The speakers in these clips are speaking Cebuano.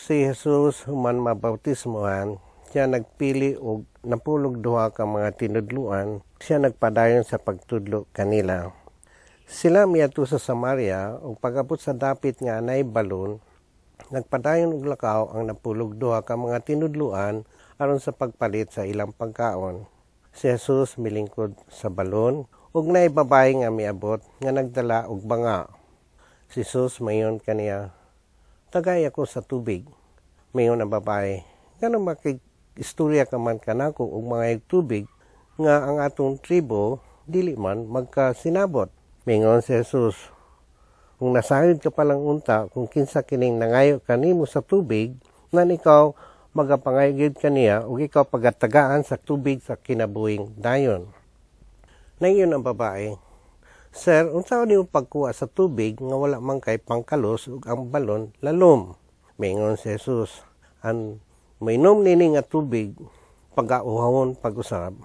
Si Jesus human mabautismohan, siya nagpili og 12 ka mga tinudloan, siya nagpadayon sa pagtudlo kanila. Sila miadto sa Samaria ug pag-abot sa dapit nga anay balon, nagpadayon og lakaw ang 12 ka mga tinudloan aron sa pagpalit sa ilang pagkaon. Si Jesus milingkod sa balon ug naay babaye nga miabot nga nagdala og banga. Si Jesus miingon kaniya, "Tagay ako sa tubig." Miingon ang babae, "Ngano makig-istorya ka man kanako og mangayog tubig nga ang atong tribo dili man magkasinabot?" Mingon si Jesus, "Kung nasayod ka palang unta kung kinsa kining nangayo kanimo sa tubig, nan ikaw magapangayo gyud kaniya ug ikaw pagatagaan sa tubig sa kinabuhing dayon." Niingon ang babae, "Sir, unsaon nimo pagkuha sa tubig nga wala man kay pangkalos ug ang balon lalom?" Miingon si Jesus, "Ang moinom nini nga tubig pagauhawon pag-usab.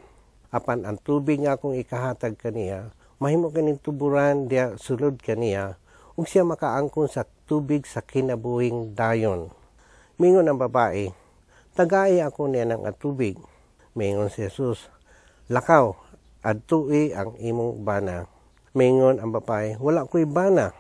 Apan ang tubig nga akong ikahatag kaniya, mahimo kining tuburan diha sulod kaniya ug siya makaangkon sa tubig sa kinabuhing dayon." Miingon ang babae, "Tagai ako niya ng tubig." Miingon si Jesus, "Lakaw, adtui ang imong bana." Miingon ang babae, "Wala ko'y bana."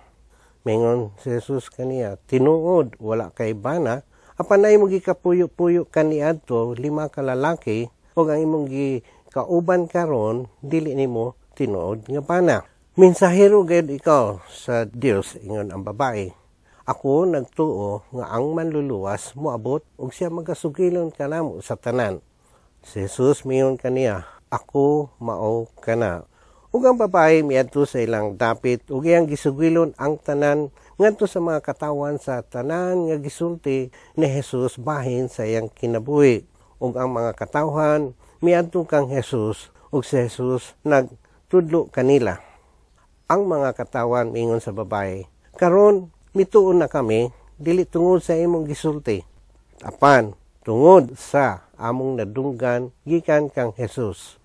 Miingon si Jesus kaniya, "Tinuod, wala kay bana, apan naay imong gikapuyo-puyo kaniadto lima ka lalaki, ug ang imong gikauban karon dili nimo tinuod nga bana. Mensahero gayud ikaw sa Dios," ingon ang babae. "Ako nagtuo nga ang Manluluwas moabot ug siya magasugilon kanamo sa tanan." Si Jesus miingon kaniya, "Ako mao kana." Ug ang babae miadto sa ilang dapit ug iyang gisugilon ang tanan ngadto sa mga katawan sa tanan nga gisulti ni Jesus bahin sa iyang kinabuhi. Ug ang mga katawhan miadto kang Jesus ug si Jesus nagtudlo kanila. Ang mga katawan miingon sa babae, "Karon mituo na kami, dili tungod sa imong gisulti, apan tungod sa among nadunggan gikan kang Jesus."